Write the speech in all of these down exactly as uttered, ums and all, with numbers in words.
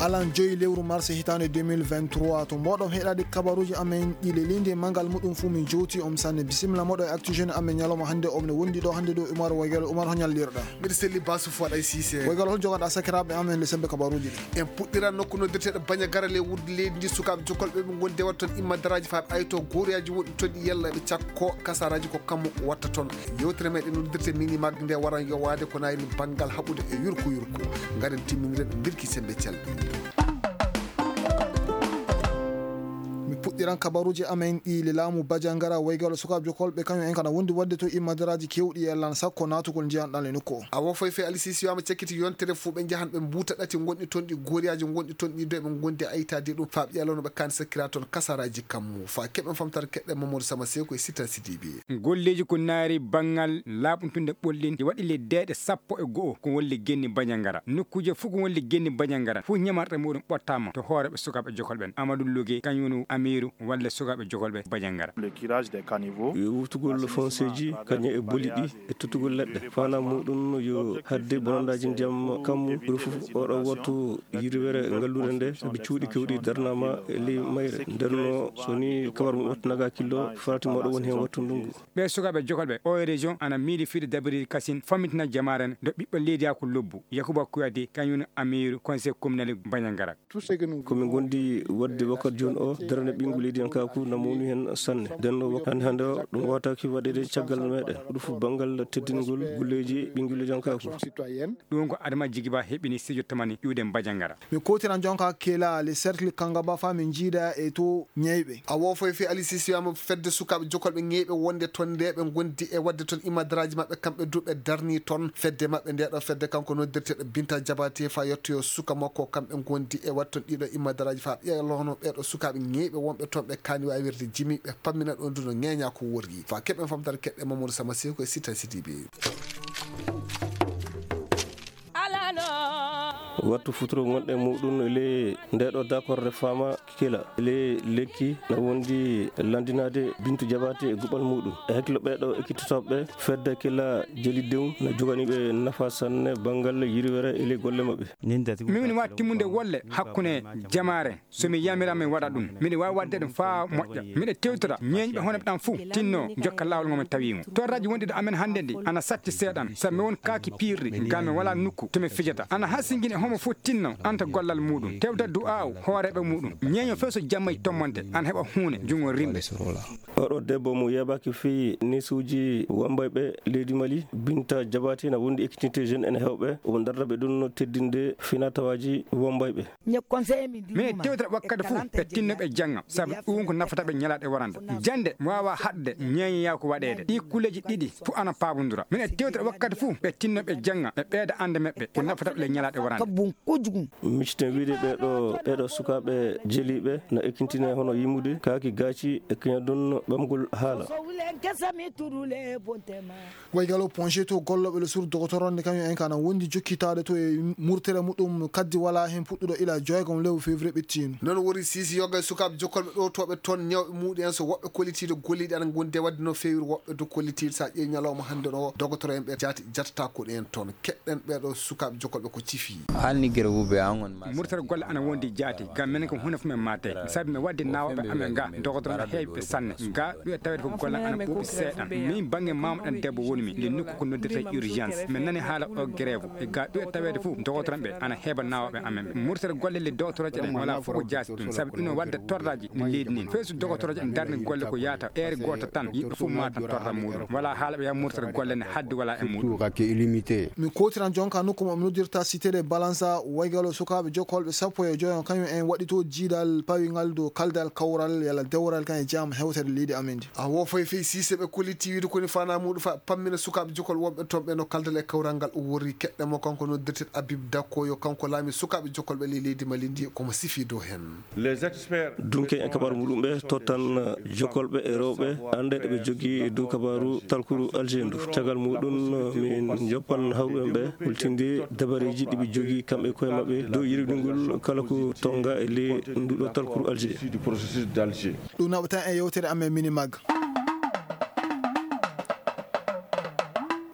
alan joyi lewru mars hitaande deux mille vingt-trois. To mboɗon heɗaade kabaruuji amen ɗi lelindi e manngal muɗum fuu, min jowti on sanne. Bisimilla moɗo e Actu Jeune amen ñalawma hannde. Omne wondi ɗo hannde ɗo Umar Waygalo. Umar, ho ñallirɗa? Mbiɗa selli Basu Fuad Ay Cissé. Waygalo, hol joganɗa sakiraaɓe amen le sembe kabaruuji ɗi? En puɗɗiran nokku noddirteeɗo Bañagara le wudde leydi ndi, sukaaɓe jokolɓe ɓe ngondi e waɗa toon immande daraaji faa ɓe ayto goriyaaji wonɗi toon ɗi yalla ɓe cakko kasaraaji ko kammu watta toon. Yewtere meɗen noddirte mini mag nde waran yowaade ko nayri banngal haɓude e yurko yurko. Ngaren timmindiren mbirki sembe calɗi. Mi puɗɗiran kabaruuji amen ɗi le laamu Bajanngara, Waygalo, sukaaɓe jokolɓe, kañum en kana wondi waɗde to immadaraaji keewɗi e lan sakko naatugol njiyan ɗan le nokku o. Awo foy fe Alisisi wiyama cakkiti yontere fuu ɓe njahan ɓe mbuuta ɗati ngonɗi toon ɗi goriyaaji ngonɗi toon ɗi dow ɓe ngondi aytaade ɗum faa ɓe ƴalano ɓe kaan sakkira toon kasaraaji kammu faa keɓen famtare keɗɗe Mamadou Sama Seko e Sita Sidibi. Golleeji ko naari banngal laaɓuntunde ɓolɗin ɗi waɗi le deeɗe sappo e go'o ko won le genni Bañangara. Nokkuuje fuu ko won le genni Bañangara fuu ñamarɗe muɗum ɓottaama to hooreeɓe sukaaɓe jokol ɓen. Amadou Loge kañum woni amiiru walla sukaaɓe jokol ɓe Bañangara. Le curage des caniveaux. Yo wuftugol fonseeji kañum e boli ɗi e tuttugol leɗɗe. Faanaa muɗum yo hadde bonandaaji ndiyam kammu. Ɗum fof oɗo wattu yirwere ngalluure nde sabi cuuɗi kewɗi darnaama e ley mayre. Nden no so ni kabar mum wattu naga killo farati moɗo woni heen wattu ndungu. Ɓee sukaaɓe jokol ɓe o région ana miili fiide dabiri kasin fammitina jamaare ndo ɓiɓɓe leydiyaaku lobbu. Yakuba Kuyate kañum woni amiiru conseil communal Bañangara. Ko min ngondi waɗde wakkati jooni o darnde ɓiyngu leydiyankaaku na mawni heen sanne. Nden no wak-, hannde hannde o ɗum waawtaaki waɗeede caggal meɗen. Ko ɗum fof banngal teddingol golleeji ɓiyngu leydiyankaaku. Ɗum ko Adama Jigiba heɓini studio tamani iwde Bañangara. Mi kootiran jonka kela le cercle Kangaba faa min njiida e to ñeyɓe. A wo foy fe Ali Sisi wiyama fedde sukaaɓe jokolɓe ñeyɓe wonde toon nde ɓe ngondi e waɗde toon imadaraaji maɓɓe kamɓe du ɓe darni toon fedde maɓɓe nde ɗo fedde kanko noddirteeɗo Binta Jabate faa yettoyo suka makko kamɓe ngondi e waɗde toon ɗiɗo imadaraaji faa ɓe lohono ɓeeɗo sukaaɓe ñeyɓe wonɓe toon ɓe kaani waawirde jimi ɓe pammina ɗon du no ñeeña ko worri faa keɓen famtare keɗɗe Mamadou Sama Seko e Sita Sidibe. Wattu futuro ngonɗe muɗum le nde ɗo dakorde fama kila le lekki na wondi landinade Bintu Jabate e guɓal muɗum. E hakkilo ɓeɗo ekkitotoɓe fedde kila jeli dew na jogani ɓe nafa sanne bangal yiriwere e le golle maɓɓe. Min watti munde wolle hakkunde jamaare. So mi yamira, mi waɗa ɗum. Miɗo waawi waɗde ɗum faa moƴƴa. Miɗo tewtora ñeeñɓe hono ɓe ɗan fuu tinno jokka laawol ngol mi tawi mo. Torraji wonɗi ɗo amen hannde ndi ana satti seeɗan. Sabu mi won kaaki piirɗi, ngam mi walaa nokku to mi fijata. Ana hasingini e homo fuu tinno anta gollal muɗum. Tewta du'aaw hooreeɓe muɗum. Ñeeño fuu so jammay tommonte, ana heɓa huune junngo rimɓe. Oɗo debbo mo yeebaaki fii neesuuji wambayɓe leydi Mali, Binta Jabate na wondi ekkitinte jeune en heewɓe, omo darda ɓe ɗum no teddinde finatawaaji wambayɓe. Mine tewtata wakkati fuu ɓe tinno ɓe jannga, sabu ɗum ko nafata ɓe ñalaɗe warande. Jannde mi waawa haɗde ñeeñoyaa ko waɗeede. Ɗii kulleeji ɗiɗi fuu ana paabondura. Mine tewtata wakkati fuu ɓe tinno ɓe jannga, ɓe ɓeyda annde maɓɓe, ko nafata ɓe le ñalaɗe warande. Micciten wiide ɓeeɗo, ɓeeɗo sukaaɓe jeliiɓe na ekkintinee hono yimude, kaaki gaaci e keña ɗum ɓamgol haala. Waygalo Ponche to gollooɓe le sur dogotoronde kañum en kana wondi jokkitaade to e murtere muɗum kaddi wala heen puɗɗuɗo ila joygom lewru février ɓettiino. Noon wori sisi yoga e sukaaɓe jokkolɓe ɗowtooɓe toon ñawɓe muɗum en so woɓɓe kollitiiɗo golliiɗi ana ngondi e waɗde no feewiri woɓɓe du kollitiiɗo so a ƴeewi ñalawma hannde no dogotore'en ɓe jaati jatata ko ɗen toon. Keɗɗen ɓeeɗo sukaaɓe jokkolɓe ko cifi. Murtere golle ana wondi jaati, ngam minen ko huunde fof min maate. Sabi mi waddi naawɓe amen ga, dogotore'en heewɓe sanne. Ga ɗo e taweede fof golle ana ɓuuɓi seeɗan. Min bannge maama ɗan debbo woni mi, le nokku ko noddirte urgence. Min nani haala o grève. E ga ɗo e taweede fof dogotore'en ɓe ana heeɓa naawɓe amen ɓe. Murtere golle le dogotorooje ɗen wala fof ko jaasi ɗum. Sabi ɗum no wadda torraji no leydi nin. Fay so dogotorooje en darni golle ko yaata heure gooto tan, yimɓe fof maatan torra muɗum. Wala haala ɓe yaha murtere golle ne haddi wala e muɗum. Mi kootiran jonka nokku mo mi noddirta Cité de Balança, Waygalo sukaaɓe jokkolɓe sappo e joyo kañum en waɗi to jiidal pawingal dow kaldal kawral yalla dewral kan e jam hewtere leydi amen ndi. A wo foy fey Sise ɓe kolliti wiide koni fana muɗum fa pammina sukaaɓe jokol wonɓe toon ɓe no kaldal e kawral ngal o worri keɗɗe mo kanko noddirten Habib Dakko yo kanko laami sukaaɓe jokkolɓe ley leydi Mali ndi komo sifi dow heen. Dunke en kabaru muɗum ɓe tottan jokkolɓe e rewɓe annde ɗe ɓe jogii e dow kabaru talkuru Alger ndu. Caggal muɗum min joppan hawruɓe ɓe hultinde dabareeji ɗi ɓe jogii kamɓe koye maɓɓe dow yirwidingol kala ko tonga e ley nduɗo talkuru Alger. Ɗum naɓata e yewtere amen mini mag.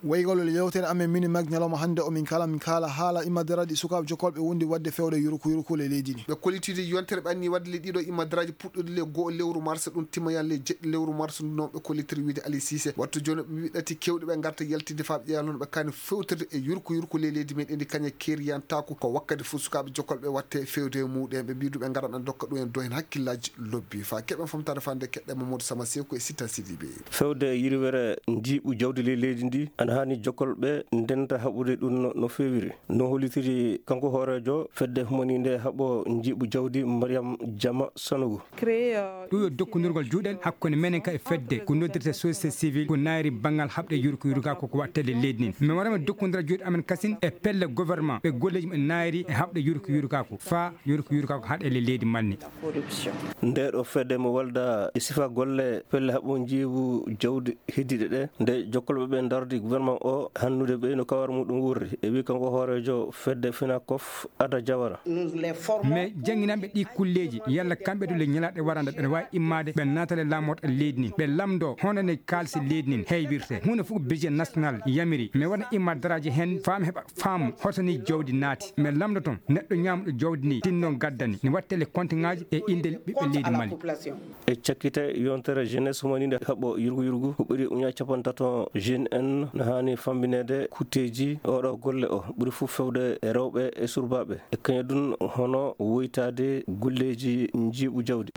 Waygalol yewtere amen mini mag ñalawma hannde o min kala min kala haala imadaraaji sukaaɓe jokkolɓe wondi waɗde fewde yurku yurku le leydi ndi. Ɓe kollitide yontere ɓe anni waɗde le ɗiɗo imadaraaji puɗɗude le goo lewru mars ɗum timmoyan le jeɗɗi lewru mars ndu noon ɓe kollitiri wiide Ali Cissé. Wattu jooni ɓe wiɗɗati kewɗi ɓe ngarta yaltinde faa ɓe ƴeewa noon ɓe kaani fewtirde e yurku yurku le leydi meɗen ndi kañe keeriyantaako ko wakkati fof sukaaɓe jokkolɓe watte fewde e muɗen ɓe mbidu ɓe ngaran ɓe dokka ɗum en do hen hakkillaaji lobbi faa keɓen famtade fande keɗɗe Mamadou Sama Seku e Sita Sidibé. Fewde yirwere njiiɓu jawdi ley leydi ndi ana haani jokkolɓe ndenta haɓude ɗum no, no feewiri. No hollitiri kanko hooreejo fedde humaninde haɓo njiiɓu jawdi Mariam Jama Sanogo. Ɗum yo dokkondirgol juuɗe hakkunde menen ka e fedde ko noddirte société civile ko naayri banngal haɓde yurko yurga ko ko wattelle leydi nin. Min waɗama dokkondira juuɗe amen kasin e pelle gouvernement ɓe golleji ɓe naayri e haɓde yurko yurga ko faa yurko yurga ko haɗele leydi manni. Nde ɗo fedde mo walda e sifa golle pelle haɓo njiibu jawdi heddiiɗe ɗe, nde jokkolɓe ɓe ndardi gouvernement o hannude ɓe no kawar muɗum wurri, e wi kanko hooreejo fedde Fenacof Ada Jawara. Mais jannginanɓe ɗi kulleeji, yalla kamɓe to le ñalaaɗe warande ɓe waawi immaade, ɓe naatale laamorɗe leydi nin, ɓe lamndo hono ne kaalisi leydi nin heywirte. Huunde fof ko budget national yamiri, mais wona imma daraaji heen, faam heɓa faamu hoto ni jawdi naati. Mais lamndo toon, neɗɗo ñaamɗo jawdi ni, tinno gaddani, ne wattele kontiŋaaji e innde ɓiɓɓe leydi Mali. E cakkite yontere jeunesse humaninde haɓɓo yurgu yurgu ko ɓuri uña capantato jeune en no haani fambineede kutteeji oɗo golle o ɓuri fof fewde e rewɓe e surbaaɓe e kañadun hono woytaade golleeji njiiɓu jawdi.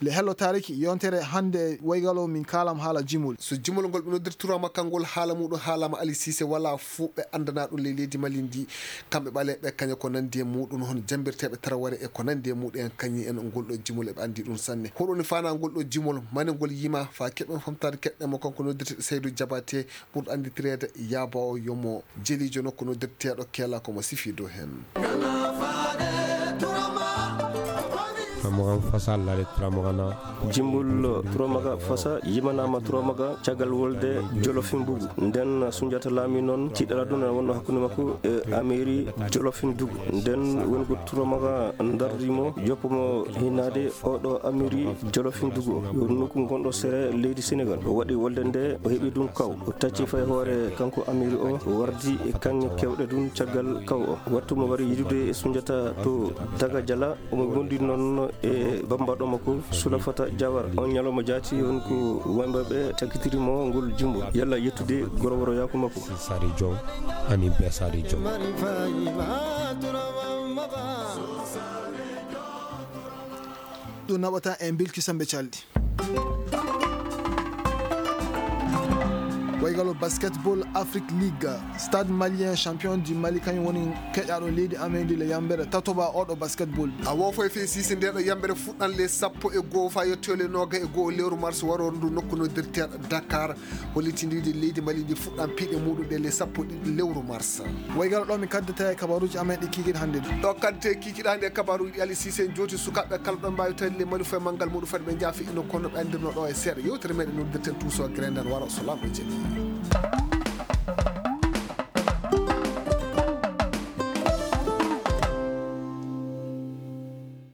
Le hello taariki yontere hannde waygalo min kaalam haala jimol. So jimol ngol ɓe noddirtiroma kangol haala muɗum haalama Ali Cissé wala fof ɓe anndana ɗum ley leydi Mali ndi. Kamɓe ɓaleeɓe kaña ko nanndi e muɗum hono jambirteeɓe taraware e ko nanndi e muɗum en kañi en ngol ɗo jimol eɓe anndi ɗum sanne. Hoɗoni fana ngol ɗo jimol mane ngol yima fa keɓen famtade keɗɗe mo kanko noddirteɗo Seydou Diabaté ɓurɗo annditireede Yaba o yomo jelijo nokku noddirteeɗo Keela komo sifi dow heen. Turamagan fasa lare turamagana. Jimbul Turamaga fasa yimanama Turamaga caggal wolde Jolofin Bugu. Nden Sunjata Laami noon tiɗɗal aduna wonno hakkunde makko e Amiri Jolofin Dugu. Nden woni ko Turamaga ndardi mo joppo mo hinnaade oɗo Amiri Jolofin Dugu o. Yo nokku gonɗo sere leydi Senegal. O waɗi wolde nde o heɓi ɗum kaw. O tacci fay hoore kanko Amiri o wardi e kaŋŋe kewɗe ɗum caggal kaw o. Wattu mo wari yidude e Sunjata to Daga Jala. Omo gondi noon e bambaɗo makko Sulafata Jawara. On ñalawma jaati on ko wayɓe ɓe takkitiri mo ngol jimbo. Yalla yettude goroworoyaaku makko. Sari Jom, ani be Sari Jom. Ɗum naɓata en bilki sembe calɗi. Waygalo basketball Afrique League, Stade Malien, champion du Mali, kañum woni keƴaɗo leydi amen ndi le yambere tatoba oɗo basketball. A wofo e fey sisi ndeɗo yambere fuɗɗan le sappo e goo fa yetto le noga e goo lewru mars waro ndu nokku no dirteɗo Dakar. Hollitindiɗi leydi Mali ndi fuɗɗan piɗe muɗum ɗe le sappo e ɗiɗi lewru mars. Waygalo ɗo mi kaddata e kabaruji amen ɗi kikiɗe hannde ɗi. Ɗo kaddete kikiɗe hannde e kabaruji ɗi Ali Sise en jooti sukaɓe kala ɗon mbawi tawde le Mali fof e manngal muɗum fati ɓe jaafi ino kono ɓe andirno ɗo e seeɗa yewtere meɗen noddirten tuuso grenden waro so lamɗo jeeɗi.